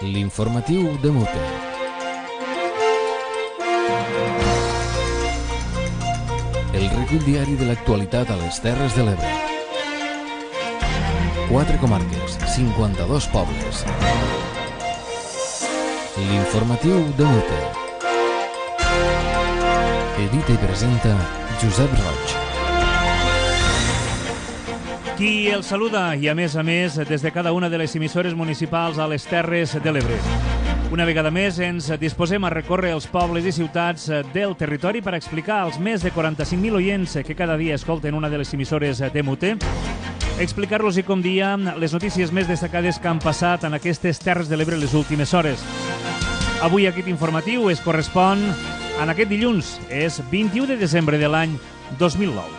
L'informatiu de Mute. El recull diari de l'actualitat a les Terres de l'Ebre. 4 comarques, 52 pobles. L'informatiu de Mute. Edita i presenta Josep Roig. Qui el saluda i, a més, des de cada una de les emissores municipals a les Terres de l'Ebre. Una vegada més ens disposem a recórrer els pobles i ciutats del territori per explicar als més de 45.000 oients que cada dia escolten una de les emissores de Mute, explicar-los i, com dia, les notícies més destacades que han passat en aquestes Terres de l'Ebre les últimes hores. Avui aquest informatiu es correspon en aquest dilluns, és 21 de desembre de l'any 2009.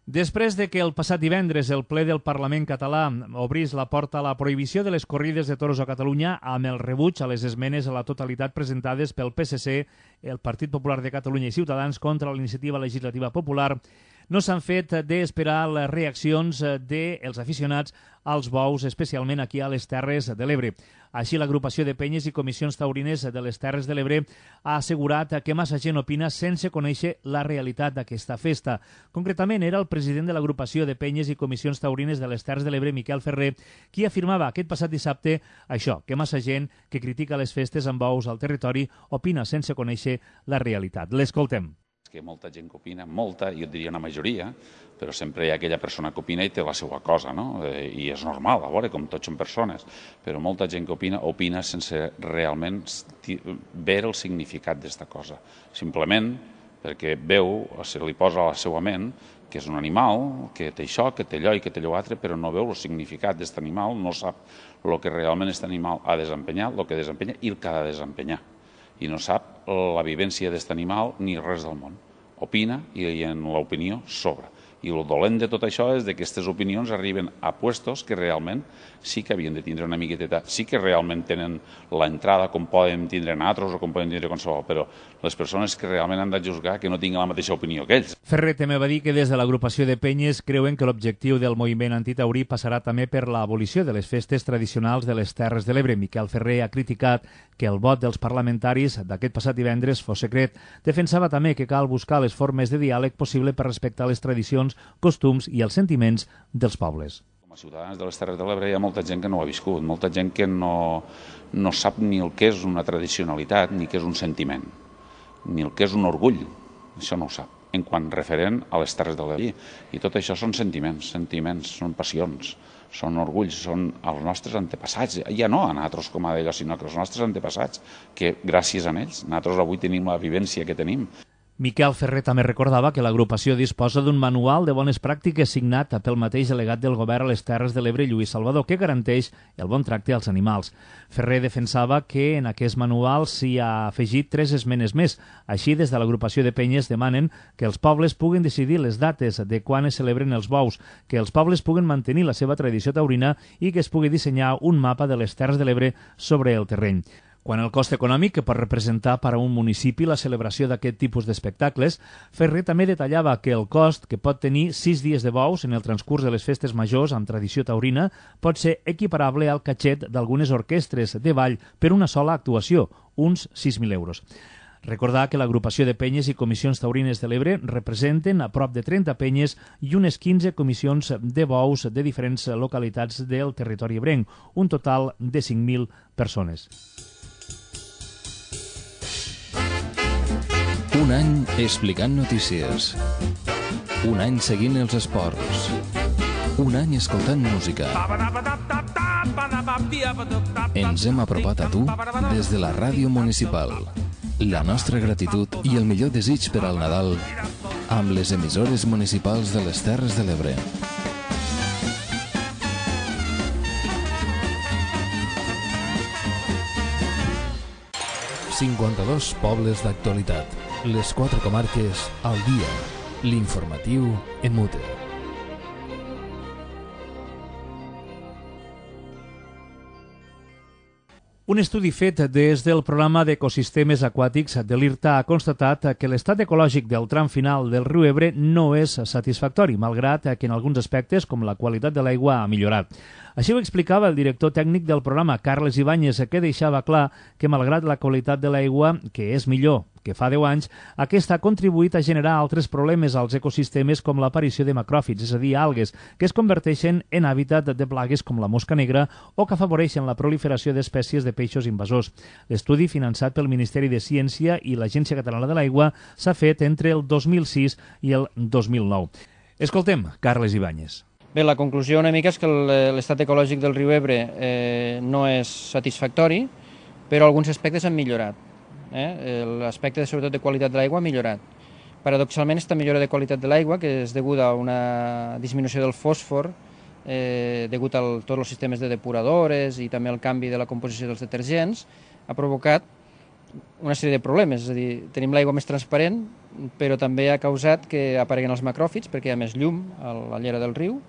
Després de que el passat divendres el ple del Parlament català obrís la porta a la prohibició de les corrides de toros a Catalunya amb el rebuig a les esmenes a la totalitat presentades pel PSC, el Partit Popular de Catalunya i Ciutadans contra la iniciativa legislativa popular, no s'han fet d'esperar les reaccions dels aficionats als bous, especialment aquí a les Terres de l'Ebre. Així, l'agrupació de penyes i comissions taurines de les Terres de l'Ebre ha assegurat que massa gent opina sense conèixer la realitat d'aquesta festa. Concretament, era el president de l'agrupació de penyes i comissions taurines de les Terres de l'Ebre, Miquel Ferrer, qui afirmava aquest passat dissabte això, que massa gent que critica les festes amb bous al territori opina sense conèixer la realitat. L'escoltem. Que molta gent que opina, molta, jo diria una majoria, però sempre hi ha aquella persona que opina i té la seva cosa, no? I és normal, a veure, com tots són persones, però molta gent que opina sense realment veure el significat d'esta cosa. Simplement perquè veu, se li posa a la seva ment que és un animal, que té això, que té allò i que té allò altre, però no veu el significat d'aquest animal, no sap el que realment aquest animal ha desempenyat, el que desempenya i el que ha de desempenyar. I no sap la vivència d'aquest animal ni res del món. Opina i en l'opinió sobra. I el dolent de tot això és que aquestes opinions arriben a puestos que realment sí que havien de tindre una miqueta, sí que realment tenen l'entrada com poden tindre altres o com poden tindre qualsevol, però les persones que realment han de juzgar que no tinguin la mateixa opinió que ells. Ferrer també va dir que des de l'agrupació de penyes creuen que l'objectiu del moviment antitaurí passarà també per l'abolició de les festes tradicionals de les Terres de l'Ebre. Miquel Ferrer ha criticat que el vot dels parlamentaris d'aquest passat divendres fos secret. Defensava també que cal buscar les formes de diàleg possible per respectar les tradicions, costums i els sentiments dels pobles. Com a ciutadans de les Terres de l'Ebre hi ha molta gent que no ho ha viscut, molta gent que no sap ni el que és una tradicionalitat, ni què és un sentiment, ni el que és un orgull, això no ho sap, en quant referent a les Terres de l'Ebre. I tot això són sentiments, són passions, són orgulls, són els nostres antepassats, ja no a nosaltres com a d'allò, sinó que els nostres antepassats, que gràcies a ells, nosaltres avui tenim la vivència que tenim. Miquel Ferrer també recordava que l'agrupació disposa d'un manual de bones pràctiques signat pel mateix delegat del govern a les Terres de l'Ebre, Lluís Salvador, que garanteix el bon tracte als animals. Ferrer defensava que en aquest manual s'hi ha afegit 3 esmenes més. Així, des de l'agrupació de penyes demanen que els pobles puguen decidir les dates de quan es celebren els bous, que els pobles puguen mantenir la seva tradició taurina i que es pugui dissenyar un mapa de les Terres de l'Ebre sobre el terreny. Quant al cost econòmic que pot representar per a un municipi la celebració d'aquest tipus d'espectacles, Ferrer també detallava que el cost que pot tenir 6 dies de bous en el transcurs de les festes majors amb tradició taurina pot ser equiparable al catxet d'algunes orquestres de ball per una sola actuació, uns 6.000 euros. Recordar que l'agrupació de penyes i comissions taurines de l'Ebre representen a prop de 30 penyes i unes 15 comissions de bous de diferents localitats del territori ebrenc, un total de 5.000 persones. Un any explicant notícies. Un any seguint els esports. Un any escoltant música. Ens hem apropat a tu des de la ràdio municipal. La nostra gratitud i el millor desig per al Nadal amb les emissores municipals de les Terres de l'Ebre. ...52 pobles d'actualitat. Les 4 comarques al dia. L'informatiu en Mute. Un estudi fet des del programa d'ecosistemes aquàtics de l'IRTA ha constatat que l'estat ecològic del tram final del riu Ebre no és satisfactori, malgrat que en alguns aspectes, com la qualitat de l'aigua, ha millorat. Així ho explicava el director tècnic del programa, Carles Ibáñez, que deixava clar que, malgrat la qualitat de l'aigua, que és millor que fa 10 anys, aquesta ha contribuït a generar altres problemes als ecosistemes com l'aparició de macròfits, és a dir, algues, que es converteixen en hàbitat de plagues com la mosca negra o que afavoreixen la proliferació d'espècies de peixos invasors. L'estudi, finançat pel Ministeri de Ciència i l'Agència Catalana de l'Aigua, s'ha fet entre el 2006 i el 2009. Escoltem Carles Ibáñez. Bé, la conclusió una mica és que l'estat ecològic del riu Ebre no és satisfactori, però alguns aspectes han millorat. L'aspecte sobretot de qualitat de l'aigua ha millorat. Paradoxalment, aquesta millora de qualitat de l'aigua, que és deguda a una disminució del fòsfor, degut a tots els sistemes de depuradores i també al canvi de la composició dels detergents, ha provocat una sèrie de problemes. És a dir, tenim l'aigua més transparent, però també ha causat que apareguen els macròfits perquè hi ha més llum a la llera del riu,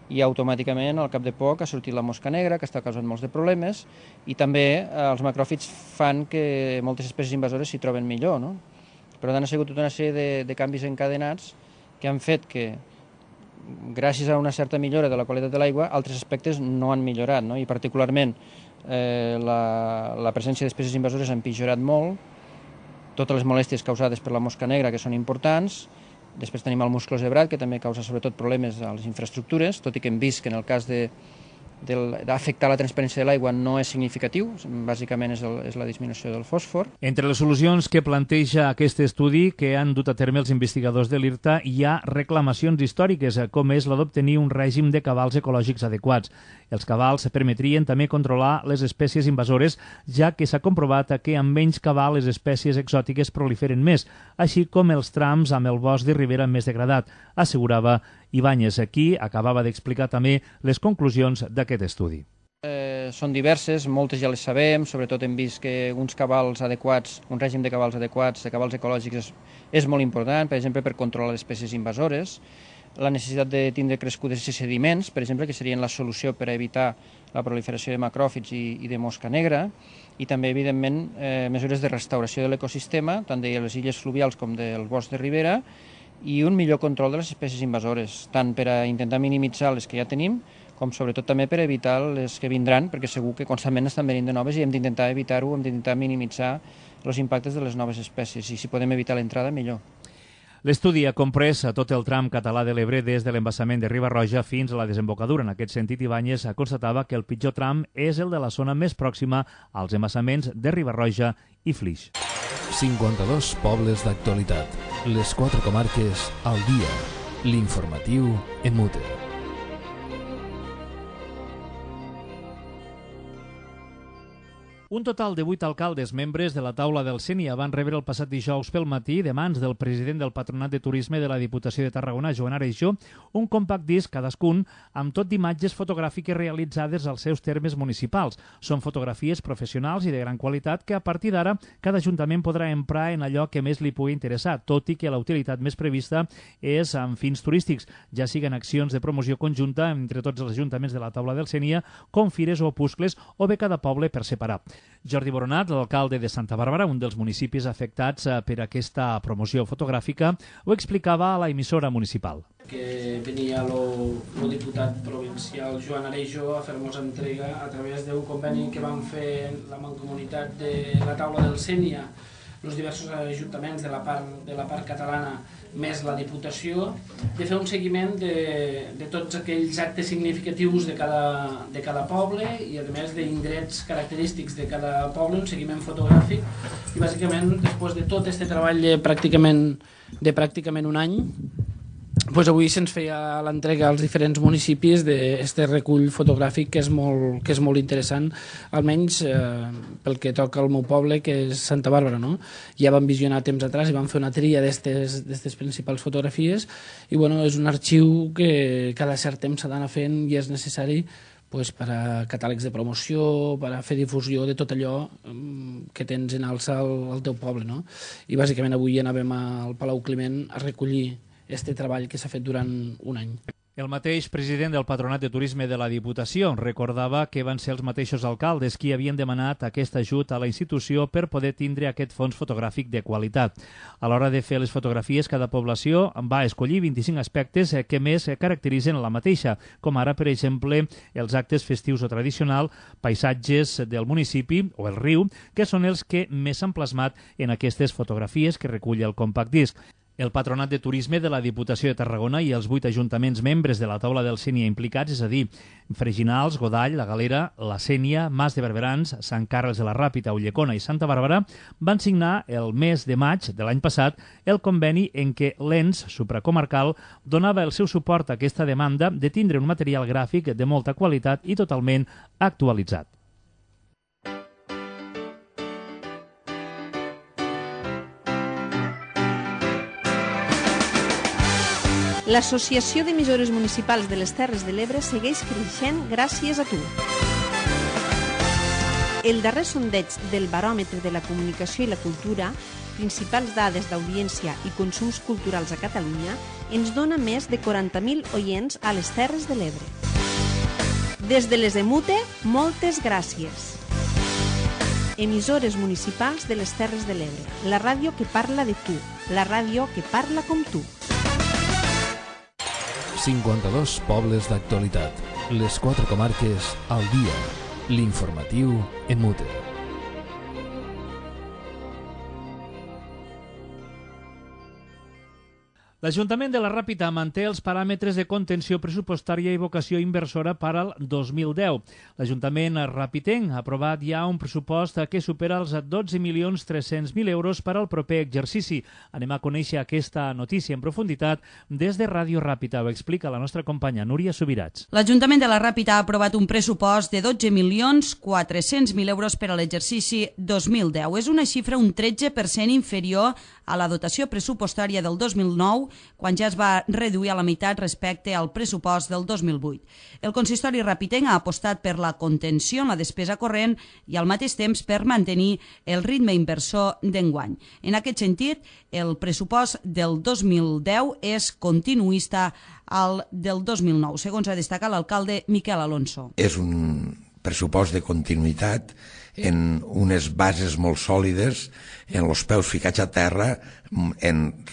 i automàticament al cap de poc ha sortit la mosca negra, que està causant molts de problemes, i també els macròfits fan que moltes espècies invasores s'hi troben millor, no? Per tant, ha sigut tota una sèrie de canvis encadenats que han fet que, gràcies a una certa millora de la qualitat de l'aigua, altres aspectes no han millorat, no? I particularment la presència d'espècies invasores ha empitjorat molt, totes les molèsties causades per la mosca negra, que són importants. Després tenim el musclo zebrat, que també causa sobretot problemes a les infraestructures, tot i que hem vist que en el cas d'afectar la transparència de l'aigua no és significatiu, bàsicament és la disminució del fòsfor. Entre les solucions que planteja aquest estudi que han dut a terme els investigadors de l'IRTA hi ha reclamacions històriques, com és la d'obtenir un règim de cabals ecològics adequats. Els cabals permetrien també controlar les espècies invasores, ja que s'ha comprovat que amb menys cabal les espècies exòtiques proliferen més, així com els trams amb el bosc de ribera més degradat, assegurava Ibáñez. Aquí acabava d'explicar també les conclusions d'aquest estudi. Són diverses, moltes ja les sabem, sobretot hem vist que uns cabals adequats, un règim de cabals adequats, de cabals ecològics, és molt important, per exemple, per controlar les espècies invasores, la necessitat de tindre crescudes i sediments, per exemple, que serien la solució per a evitar la proliferació de macròfits i de mosca negra, i també, evidentment, mesures de restauració de l'ecosistema, tant de les illes fluvials com del bosc de ribera, i un millor control de les espècies invasores, tant per a intentar minimitzar les que ja tenim, com sobretot també per evitar les que vindran, perquè segur que constantment estan venint de noves i hem d'intentar evitar-ho, hem d'intentar minimitzar els impactes de les noves espècies, i si podem evitar l'entrada, millor. L'estudi ha comprès tot el tram català de l'Ebre des de l'embassament de Riba-roja fins a la desembocadura. En aquest sentit, Ibáñez constatava que el pitjor tram és el de la zona més pròxima als embassaments de Riba-roja i Flix. 52 pobles d'actualitat. Les 4 comarques al dia. L'informatiu EMUTE. Un total de 8 alcaldes membres de la taula del Sénia van rebre el passat dijous pel matí, de mans del president del Patronat de Turisme de la Diputació de Tarragona, Joan Areixó, un compact disc cadascun amb tot d'imatges fotogràfiques realitzades als seus termes municipals. Són fotografies professionals i de gran qualitat que a partir d'ara cada ajuntament podrà emprar en allò que més li pugui interessar, tot i que la utilitat més prevista és amb fins turístics, ja siguen accions de promoció conjunta entre tots els ajuntaments de la taula del Sénia, com fires o opuscles o bé cada poble per separar. Jordi Boronat, l'alcalde de Santa Bàrbara, un dels municipis afectats per aquesta promoció fotogràfica, ho explicava a la emissora municipal. Que venia el diputat provincial Joan Areixó a fer-nos entrega a través d'un conveni que vam fer la Mancomunitat de la taula del Sénia, els diversos ajuntaments de la part catalana més la Diputació, de fer un seguiment de tots aquells actes significatius de cada poble i a més d'indrets característics de cada poble, un seguiment fotogràfic, i bàsicament després de tot aquest treball de pràcticament un any, doncs avui se'ns feia l'entrega als diferents municipis d'aquest recull fotogràfic que és molt interessant, almenys pel que toca al meu poble, que és Santa Bàrbara, no? Ja vam visionar temps atrás i vam fer una tria d'aquestes principals fotografies i bueno, és un arxiu que cada cert temps s'ha d'anar fent i és necessari per a catàlegs de promoció, per a fer difusió de tot allò que tens en alça al teu poble, no? I bàsicament avui anàvem al Palau Climent a recollir este treball que s'ha fet durant un any. El mateix president del Patronat de Turisme de la Diputació recordava que van ser els mateixos alcaldes qui havien demanat aquest ajut a la institució per poder tindre aquest fons fotogràfic de qualitat. A l'hora de fer les fotografies, cada població va escollir 25 aspectes que més caracteritzen la mateixa, com ara, per exemple, els actes festius o tradicionals, paisatges del municipi o el riu, que són els que més s'han plasmat en aquestes fotografies que recull el compact disc. El Patronat de Turisme de la Diputació de Tarragona i els 8 ajuntaments membres de la taula del Sénia implicats, és a dir, Freginals, Godall, La Galera, la Sénia, Mas de Barberans, Sant Carles de la Ràpita, Ulldecona i Santa Bàrbara, van signar el mes de maig de l'any passat el conveni en què l'ENS supracomarcal donava el seu suport a aquesta demanda de tindre un material gràfic de molta qualitat i totalment actualitzat. L'Associació d'Emissores Municipals de les Terres de l'Ebre segueix creixent gràcies a tu. El darrer sondeig del Baròmetre de la Comunicació i la Cultura, principals dades d'audiència i consums culturals a Catalunya, ens dona més de 40.000 oients a les Terres de l'Ebre. Des de les EMUTE, moltes gràcies. Emissores municipals de les Terres de l'Ebre, la ràdio que parla de tu, la ràdio que parla com tu. 52 pobles d'actualitat. Les 4 comarques al dia. L'informatiu EMUTE. L'Ajuntament de la Ràpita manté els paràmetres de contenció pressupostària i vocació inversora per al 2010. L'Ajuntament ràpitenc ha aprovat ja un pressupost que supera els 12.300.000 euros per al proper exercici. Anem a conèixer aquesta notícia en profunditat des de Ràdio Ràpita. Ho explica la nostra companya Núria Subirats. L'Ajuntament de la Ràpita ha aprovat un pressupost de 12.400.000 euros per a l'exercici 2010. És una xifra un 13% inferior a la dotació pressupostària del 2009, quan ja es va reduir a la meitat respecte al pressupost del 2008. El consistori ràpitenc ha apostat per la contenció en la despesa corrent i al mateix temps per mantenir el ritme inversor d'enguany. En aquest sentit, el pressupost del 2010 és continuista al del 2009, segons ha destacat l'alcalde Miquel Alonso. És un pressupost de continuïtat en unes bases molt sòlides, en els peus ficats a terra,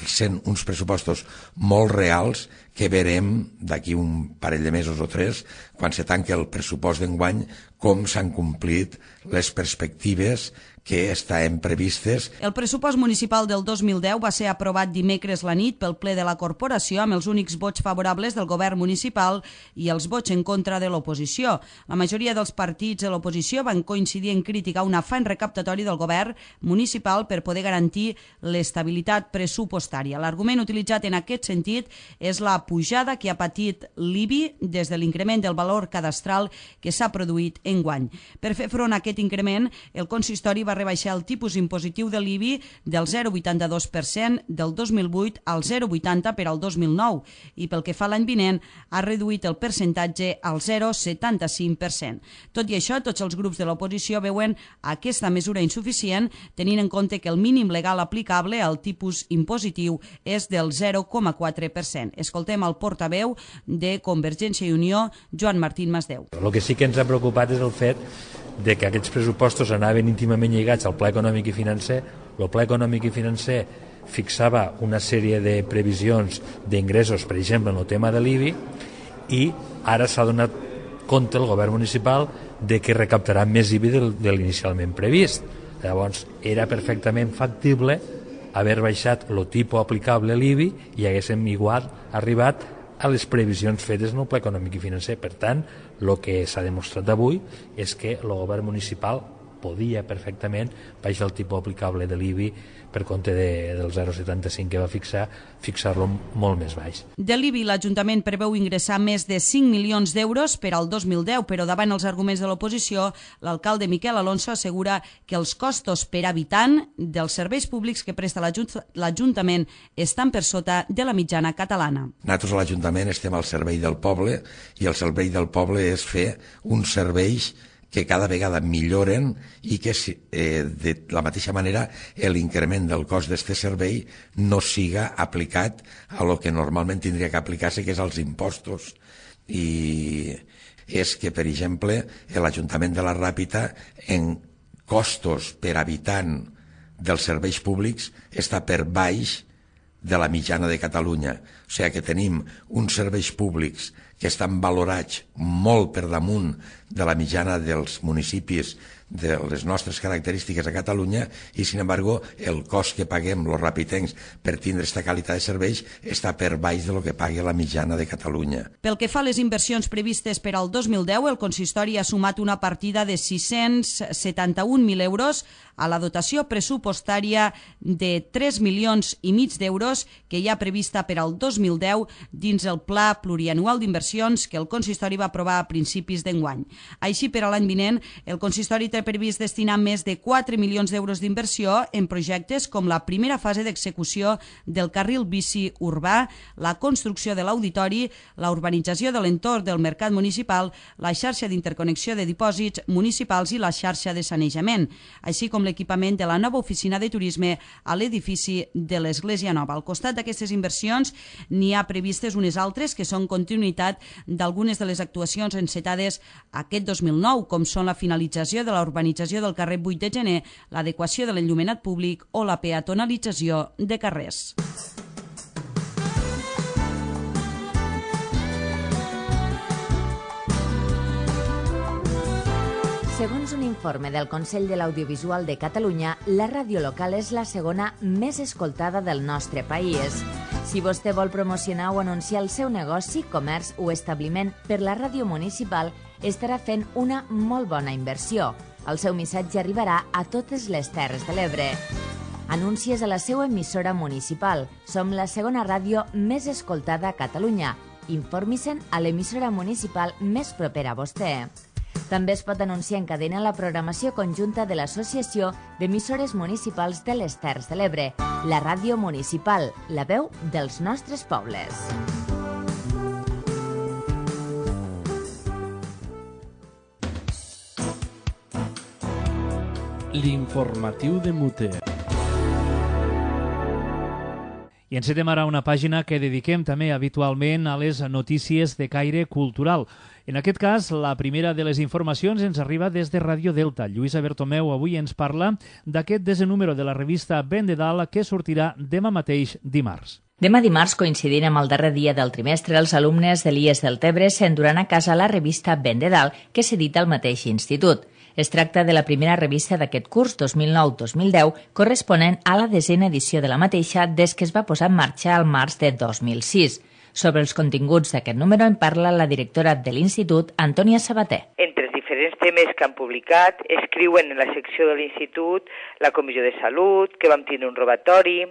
sent uns pressupostos molt reals que verem d'aquí un parell de mesos o 3, quan se tanqui el pressupost d'enguany, com s'han complit les perspectives que estaven previstes. El pressupost municipal del 2010 va ser aprovat dimecres la nit pel ple de la corporació amb els únics vots favorables del govern municipal i els vots en contra de l'oposició. La majoria dels partits de l'oposició van coincidir en criticar un afany recaptatori del govern municipal per poder garantir l'estabilitat pressupostària. L'argument utilitzat en aquest sentit és la pujada que ha patit l'IBI des de l'increment del valor cadastral que s'ha produït enguany. Per fer front a aquest increment, el consistori va rebaixar el tipus impositiu de l'IBI del 0,82% del 2008 al 0,80% per al 2009 i pel que fa a l'any vinent ha reduït el percentatge al 0,75%. Tot i això, tots els grups de l'oposició veuen aquesta mesura insuficient, tenint en compte que el mínim legal aplicable al tipus impositiu és del 0,4%. Escoltem el portaveu de Convergència i Unió, Joan Martín Masdeu. El que sí que ens ha preocupat és el fet de que aquests pressupostos anaven íntimament lligats al Pla Econòmic i Financer. El Pla Econòmic i Financer fixava una sèrie de previsions d'ingressos, per exemple, en el tema de l'IBI, i ara s'ha donat compte el govern municipal de que recaptarà més IBI de l'inicialment previst. Llavors, era perfectament factible haver baixat el tipus aplicable a l'IBI i haguéssim igual arribat a les previsions fetes en el Pla Econòmic i Financer. Per tant, el que s'ha demostrat avui és que el govern municipal podia perfectament baixar el tipus aplicable de l'IBI per compte del 0,75 que va fixar-lo molt més baix. De l'IBI, l'Ajuntament preveu ingressar més de 5 milions d'euros per al 2010, però davant els arguments de l'oposició, l'alcalde Miquel Alonso assegura que els costos per habitant dels serveis públics que presta l'Ajuntament estan per sota de la mitjana catalana. Nosaltres a l'Ajuntament estem al servei del poble i el servei del poble és fer uns serveis que cada vegada milloren i que de la mateixa manera l'increment del cost d'aquest servei no siga aplicat a lo que normalment tindria que aplicar-se, que és als impostos. I és que, per exemple, l'Ajuntament de la Ràpita en costos per habitant dels serveis públics està per baix de la mitjana de Catalunya. O sigui que tenim uns serveis públics que estan valorats molt per damunt de la mitjana dels municipis de les nostres característiques a Catalunya i, sin embargo, el cost que paguem els rapitencs per tindre aquesta qualitat de serveis està per baix de lo que pagui la mitjana de Catalunya. Pel que fa a les inversions previstes per al 2010, el consistori ha sumat una partida de 671.000 euros a la dotació pressupostària de 3,5 milions d'euros que hi ha prevista per al 2010 dins el Pla Plurianual d'Inversions que el consistori va aprovar a principis d'enguany. Així, per a l'any vinent, el consistori té previst destinar més de 4 milions d'euros d'inversió en projectes com la primera fase d'execució del carril bici urbà, la construcció de l'auditori, la urbanització de l'entorn del mercat municipal, la xarxa d'interconnexió de dipòsits municipals i la xarxa de sanejament, així com l'equipament de la nova oficina de turisme a l'edifici de l'Església Nova. Al costat d'aquestes inversions n'hi ha previstes unes altres que són continuïtat d'algunes de les actuacions encetades aquest 2009, com són la finalització de la urbanització del carrer 8 de gener, l'adequació de l'enllumenat públic o la peatonalització de carrers. Segons un informe del Consell de l'Audiovisual de Catalunya, la ràdio local és la segona més escoltada del nostre país. Si vostè vol promocionar o anunciar el seu negoci, comerç o establiment per la ràdio municipal, estarà fent una molt bona inversió. El seu missatge arribarà a totes les Terres de l'Ebre. Anuncies a la seva emissora municipal. Som la segona ràdio més escoltada a Catalunya. Informi-se'n a l'emissora municipal més propera a vostè. També es pot anunciar en cadena la programació conjunta de l'Associació d'Emissores Municipals de les Terres de l'Ebre, la ràdio municipal, la veu dels nostres pobles. L'informatiu de Muter. I encetem ara una pàgina que dediquem també habitualment a les notícies de caire cultural. En aquest cas, la primera de les informacions ens arriba des de Ràdio Delta. Lluïsa Bertomeu avui ens parla d'aquest desè número de la revista Ben de Dalt que sortirà demà mateix dimarts. Demà dimarts, coincidint amb el darrer dia del trimestre, els alumnes de l'IES del Tebre s'enduran a casa la revista Ben de Dalt, que s'edita al mateix institut. Es tracta de la primera revista d'aquest curs 2009-2010, corresponent a la 10a edició de la mateixa des que es va posar en marxa al març de 2006. Sobre els continguts d'aquest número en parla la directora de l'Institut, Antònia Sabater. Entre els diferents temes que han publicat, escriuen en la secció de l'Institut la Comissió de Salut, que vam tindre un robatori,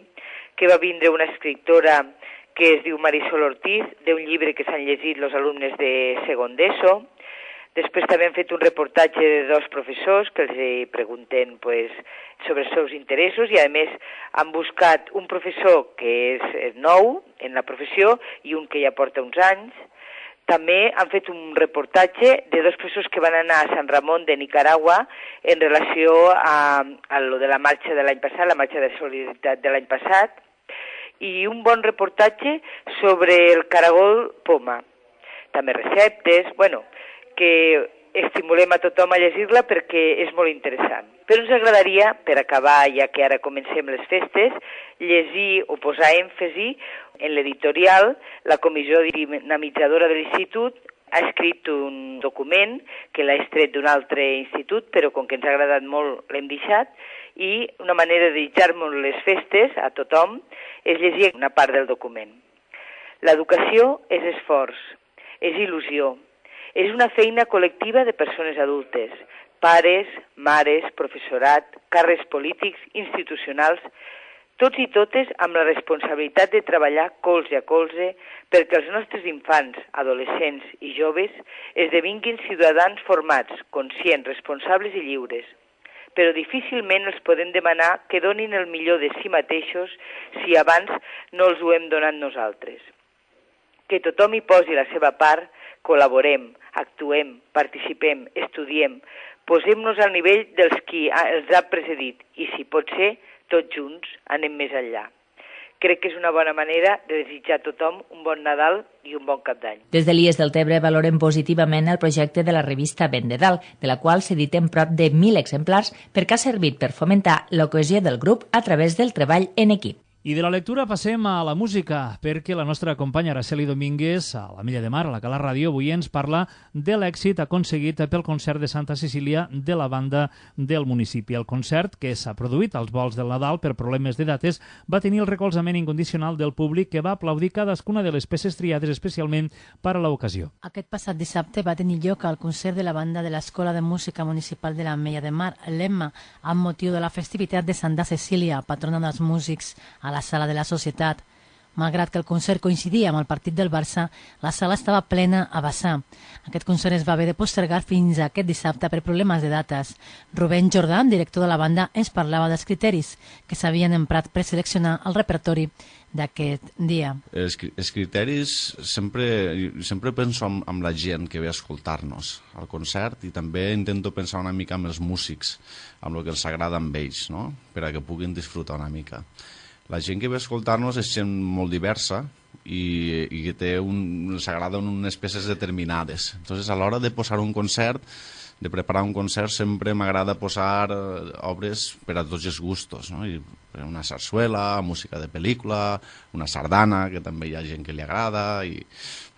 que va vindre una escriptora que es diu Marisol Ortiz, d'un llibre que s'han llegit els alumnes de segon d'ESO. Després també han fet un reportatge de dos professors que els pregunten sobre els seus interessos i, a més, han buscat un professor que és nou en la professió i un que ja porta uns anys. També han fet un reportatge de dos professors que van anar a San Ramon de Nicaragua en relació a lo de la marxa de l'any passat, la marxa de solidaritat de l'any passat, i un bon reportatge sobre el caragol poma. També receptes, que estimulem a tothom a llegir-la perquè és molt interessant. Però ens agradaria, per acabar, ja que ara comencem les festes, llegir o posar èmfasi en l'editorial. La comissió dinamitzadora de l'Institut ha escrit un document que l'ha extret d'un altre institut, però com que ens ha agradat molt l'hem deixat, i una manera de desitjar-nos les festes a tothom és llegir una part del document. L'educació és esforç, és il·lusió, és una feina col·lectiva de persones adultes, pares, mares, professorat, càrrecs polítics, institucionals, tots i totes amb la responsabilitat de treballar colze a colze perquè els nostres infants, adolescents i joves esdevinguin ciutadans formats, conscients, responsables i lliures. Però difícilment els podem demanar que donin el millor de si mateixos si abans no els ho hem donat nosaltres. Que tothom hi posi la seva part, col·laborem, actuem, participem, estudiem, Posem-nos al nivell dels qui els ha precedit i, si pot ser, tots junts anem més enllà. Crec que és una bona manera de desitjar a tothom un bon Nadal i un bon Cap d'Any. Des de l'IES del Tebre valoren positivament el projecte de la revista Vendedal, de la qual s'editen prop de 1.000 exemplars perquè ha servit per fomentar la cohesió del grup a través del treball en equip. I de la lectura passem a la música, perquè la nostra companya Araceli Domínguez, a la Milla de Mar, a la Cala Ràdio, avui ens parla de l'èxit aconseguit pel concert de Santa Cecília de la banda del municipi. El concert, que s'ha produït als volts del Nadal per problemes de dates, va tenir el recolzament incondicional del públic, que va aplaudir cadascuna de les peces triades especialment per a l'ocasió. Aquest passat dissabte va tenir lloc el concert de la banda de l'Escola de Música Municipal de la Milla de Mar, l'EMMA, amb motiu de la festivitat de Santa Cecília, patrona dels músics, a la sala de la Societat. Malgrat que el concert coincidia amb el partit del Barça, la sala estava plena a vessar. Aquest concert es va haver de postergar fins a aquest dissabte per problemes de dates. Rubén Jordà, director de la banda, ens parlava dels criteris que s'havien emprat per seleccionar el repertori d'aquest dia. Els criteris, sempre penso amb la gent que ve a escoltar-nos al concert, i també intento pensar una mica amb els músics, amb el que els agrada amb ells, no? Per a que puguin disfrutar una mica. La gent que ve a escoltar-nos és gent molt diversa i que els agraden unes peces determinades. Entonces, a l'hora de posar un concert, de preparar un concert, sempre m'agrada posar obres per a tots els gustos, no? Una sarsuela, música de pel·lícula, una sardana, que també hi ha gent que li agrada, i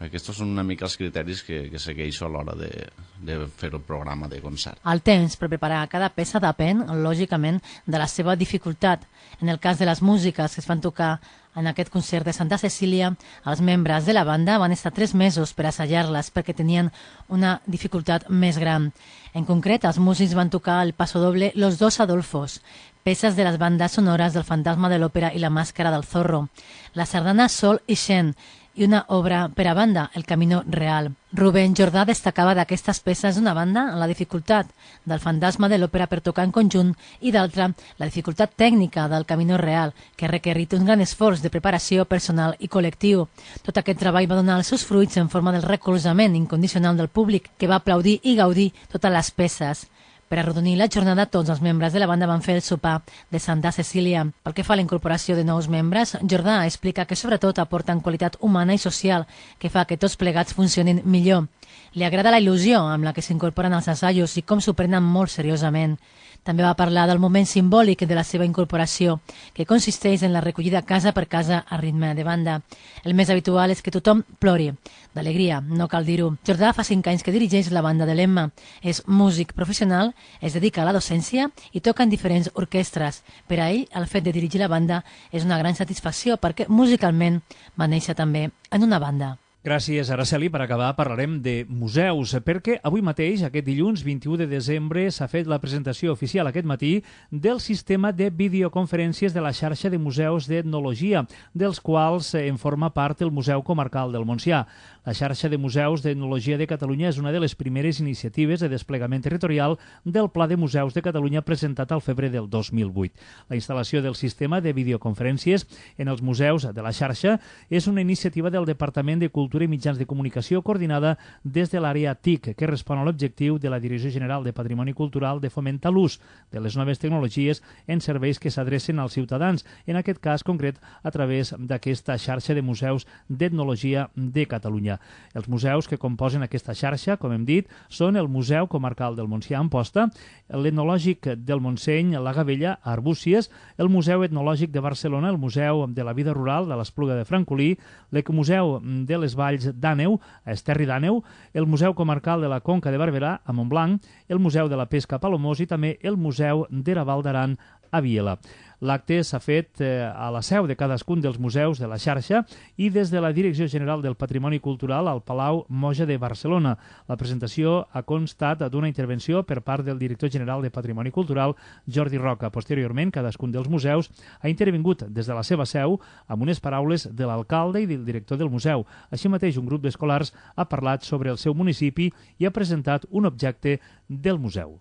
aquests són una mica els criteris que segueixo a l'hora de fer el programa de concert. El temps per preparar cada peça depèn, lògicament, de la seva dificultat. En el cas de les músiques que es van tocar en aquest concert de Santa Cecília, els membres de la banda van estar 3 mesos per assajar-les perquè tenien una dificultat més gran. En concret, els músics van tocar el pasodoble Los dos Adolfos, peces de les bandes sonores del Fantasma de l'Òpera i la Màscara del Zorro, la sardana Sol i Xen, i una obra per a banda, El Camino Real. Rubén Jordà destacava d'aquestes peces d'una banda la dificultat del Fantasma de l'Òpera per tocar en conjunt i d'altra la dificultat tècnica del Camino Real, que ha requerit un gran esforç de preparació personal i col·lectiu. Tot aquest treball va donar els seus fruits en forma del recolzament incondicional del públic, que va aplaudir i gaudir totes les peces. Per arrodonir la jornada, tots els membres de la banda van fer el sopar de Santa Cecília. Pel que fa a la incorporació de nous membres, Jordà explica que sobretot aporten qualitat humana i social que fa que tots plegats funcionin millor. Li agrada la il·lusió amb la que s'incorporen als assajos i com s'ho prenen molt seriosament. També va parlar del moment simbòlic de la seva incorporació, que consisteix en la recollida casa per casa a ritme de banda. El més habitual és que tothom plori. D'alegria, no cal dir-ho. Jordà fa 5 anys que dirigeix la banda de l'Emma. És músic professional, es dedica a la docència i toca en diferents orquestres. Per a ell, el fet de dirigir la banda és una gran satisfacció perquè musicalment va néixer també en una banda. Gràcies, Araceli. Per acabar, parlarem de museus, perquè avui mateix, aquest dilluns 21 de desembre, s'ha fet la presentació oficial aquest matí del sistema de videoconferències de la xarxa de museus d'etnologia, dels quals en forma part el Museu Comarcal del Montsià. La xarxa de museus d'etnologia de Catalunya és una de les primeres iniciatives de desplegament territorial del Pla de Museus de Catalunya presentat al febrer del 2008. La instal·lació del sistema de videoconferències en els museus de la xarxa és una iniciativa del Departament de Cultura i Mitjans de Comunicació coordinada des de l'àrea TIC, que respon a l'objectiu de la Direcció General de Patrimoni Cultural de fomentar l'ús de les noves tecnologies en serveis que s'adrecen als ciutadans, en aquest cas concret a través d'aquesta xarxa de museus d'etnologia de Catalunya. Els museus que composen aquesta xarxa, com hem dit, són el Museu Comarcal del Montsià a Amposta, l'Etnològic del Montseny, la Gavella, a Arbúcies, el Museu Etnològic de Barcelona, el Museu de la Vida Rural de l'Espluga de Francolí, l'Ecomuseu de les Valls d'Àneu, a Esterri d'Àneu, el Museu Comarcal de la Conca de Barberà, a Montblanc, el Museu de la Pesca a Palamós i també el Museu d'Eraval d'Aran a Viela. L'acte s'ha fet a la seu de cadascun dels museus de la xarxa i des de la Direcció General del Patrimoni Cultural al Palau Moja de Barcelona. La presentació ha constat d'una intervenció per part del director general de Patrimoni Cultural, Jordi Roca. Posteriorment, cadascun dels museus ha intervingut des de la seva seu amb unes paraules de l'alcalde i del director del museu. Així mateix, un grup d'escolars ha parlat sobre el seu municipi i ha presentat un objecte del museu.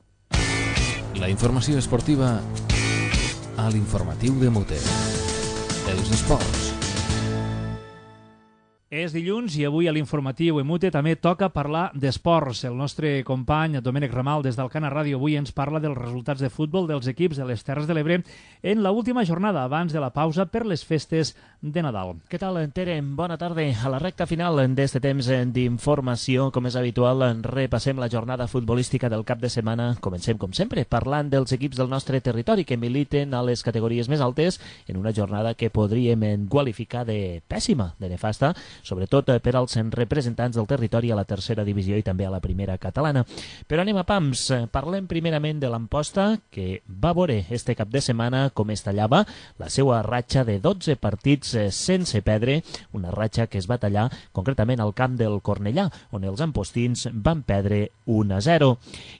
La informació esportiva a l'informatiu de Muter. Els esports. És dilluns i avui a l'informatiu EMUTE també toca parlar d'esports. El nostre company Domènec Ramal des d'Alcana Ràdio avui ens parla dels resultats de futbol dels equips de les Terres de l'Ebre en l'última jornada abans de la pausa per les festes de Nadal. Què tal, Tere? Bona tarda. A la recta final d'este temps d'informació, com és habitual, repassem la jornada futbolística del cap de setmana. Comencem, com sempre, parlant dels equips del nostre territori que militen a les categories més altes en una jornada que podríem qualificar de pèssima, de nefasta, sobretot per als representants del territori a la tercera divisió i també a la primera catalana. Però anem a pams. Parlem primerament de l'Amposta, que va veure este cap de setmana com es tallava la seva ratxa de 12 partits sense perdre, una ratxa que es va tallar concretament al camp del Cornellà, on els ampostins van perdre 1-0.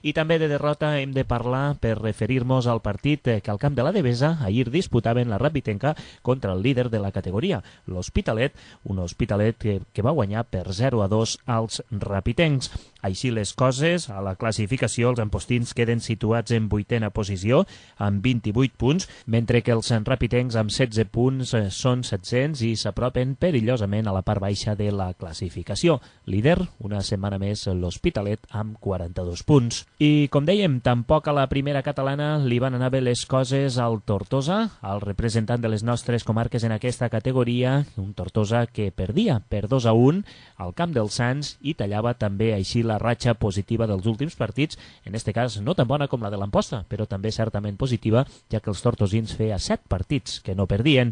I també de derrota hem de parlar per referir-nos al partit que al camp de la Devesa ahir disputaven la Rapitenca contra el líder de la categoria, l'Hospitalet, un Hospitalet que va guanyar per 0-2 als rapitencs. Així les coses, a la classificació els ampostins queden situats en 8a posició amb 28 punts, mentre que els rapitencs amb 16 punts són 700 i s'apropen perillosament a la part baixa de la classificació. Líder, una setmana més, l'Hospitalet amb 42 punts. I, com dèiem, tampoc a la primera catalana li van anar bé les coses al Tortosa, el representant de les nostres comarques en aquesta categoria, un Tortosa que perdia per 2-1 al camp dels Sants i tallava també així la ratxa positiva dels últims partits, en este cas no tan bona com la de l'Amposta, però també certament positiva, ja que els tortosins feia 7 partits que no perdien.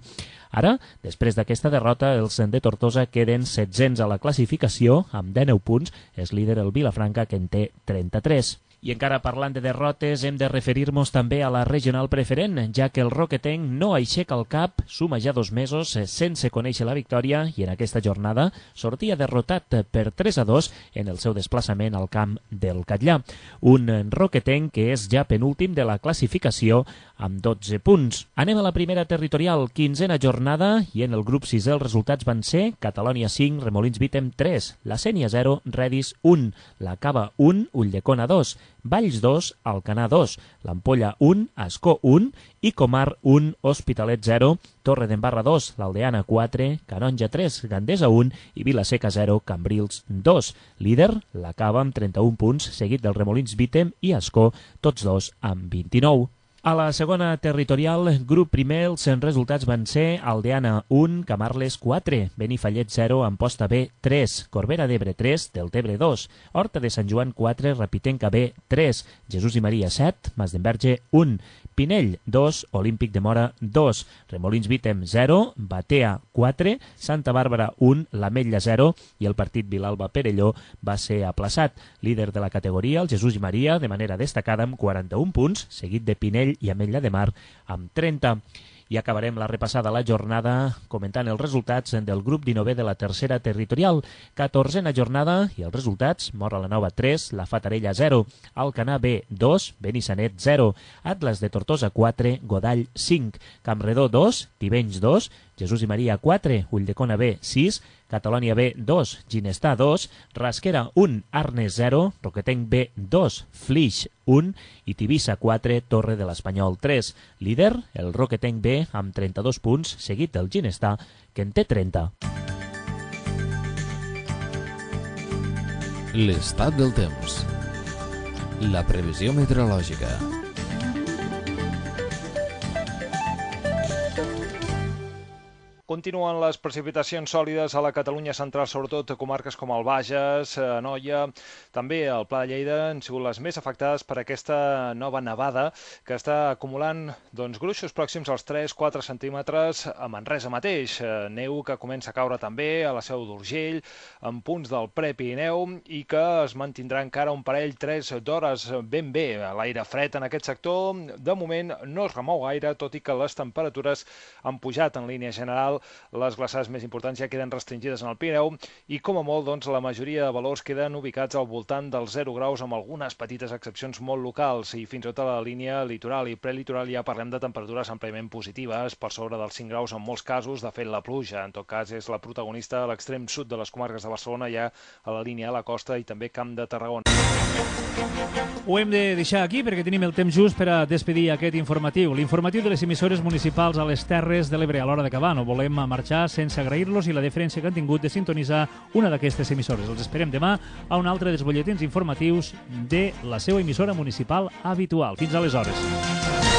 Ara, després d'aquesta derrota, els de Tortosa queden 700 a la classificació, amb 19 punts, és líder el Vilafranca, que en té 33. I encara parlant de derrotes, hem de referir-nos també a la regional preferent, ja que el roquetenc no aixeca el cap, suma ja 2 mesos sense conèixer la victòria i en aquesta jornada sortia derrotat per 3-2 en el seu desplaçament al camp del Catllà. Un roquetenc que és ja penúltim de la classificació amb 12 punts. Anem a la primera territorial, 15a jornada, i en el grup 6 els resultats van ser Catalònia 5, Remolins Vítem 3, la Sénia 0, Redis 1, la Cava 1, Ulldecona 2, Valls 2, Alcanar 2, l'Ampolla 1, Ascó 1 i Comar 1, Hospitalet 0, Torre d'Embarra 2, l'Aldeana 4, Canonja 3, Gandesa 1 i Vilaseca 0, Cambrils 2. Líder, la Cava amb 31 punts, seguit del Remolins Vítem i Ascó, tots dos amb 29. A la segona territorial, grup primer, els resultats van ser Aldeana 1, Camarles 4, Benifallet 0, Amposta B 3, Corbera d'Ebre 3, Deltebre 2, Horta de Sant Joan 4, Rapitenca B 3, Jesús i Maria 7, Masdenverge 1, Pinell 2, Olímpic de Mora 2, Remolins Vítem 0, Batea 4, Santa Bàrbara 1, l'Ametlla 0 i el partit Vilalba-Perelló va ser aplaçat. Líder de la categoria, el Jesús i Maria, de manera destacada amb 41 punts, seguit de Pinell i Ametlla de Mar amb 30. I acabarem la repassada a la jornada comentant els resultats del grup 19 de la tercera territorial. 14a jornada i els resultats: Mora la Nova 3, la Fatarella 0, Alcanar B 2, Benissanet 0, Atlas de Tortosa 4, Godall 5, Campredó 2, Tivenys 2, Jesús i Maria 4, Ulldecona B 6, Catalònia B 2, Ginestar 2, Rasquera 1, Arnes 0, Roquetenc B 2, Flix 1 i Tivissa 4, Torre de l'Espanyol 3. Líder, el Roquetenc B amb 32 punts, seguit del Ginestar, que en té 30. L'estat del temps. La previsió meteorològica. Continuen les precipitacions sòlides a la Catalunya central, sobretot a comarques com el Bages, Anoia, també al Pla de Lleida han sigut les més afectades per aquesta nova nevada que està acumulant gruixos pròxims als 3-4 centímetres a Manresa mateix. Neu que comença a caure també a la Seu d'Urgell, en punts del Prepirineu i que es mantindrà encara un parell 3 d'hores ben bé. L'aire fred en aquest sector de moment no es remou gaire, tot i que les temperatures han pujat en línia general. Les glaçades més importants ja queden restringides en el Pirineu i, com a molt, la majoria de valors queden ubicats al voltant dels 0 graus amb algunes petites excepcions molt locals i fins i tot a la línia litoral i prelitoral ja parlem de temperatures àmpliament positives, per sobre dels 5 graus en molts casos. De fet, la pluja, en tot cas, és la protagonista a l'extrem sud de les comarques de Barcelona, ja a la línia de la costa i també Camp de Tarragona. Ho hem de deixar aquí perquè tenim el temps just per a despedir aquest informatiu. L'informatiu de les emissores municipals a les Terres de l'Ebre. A l'hora d'acabar no volem marxar sense agrair-los i la deferència que han tingut de sintonitzar una d'aquestes emissores. Els esperem demà a un altre dels butlletins informatius de la seva emissora municipal habitual. Fins aleshores.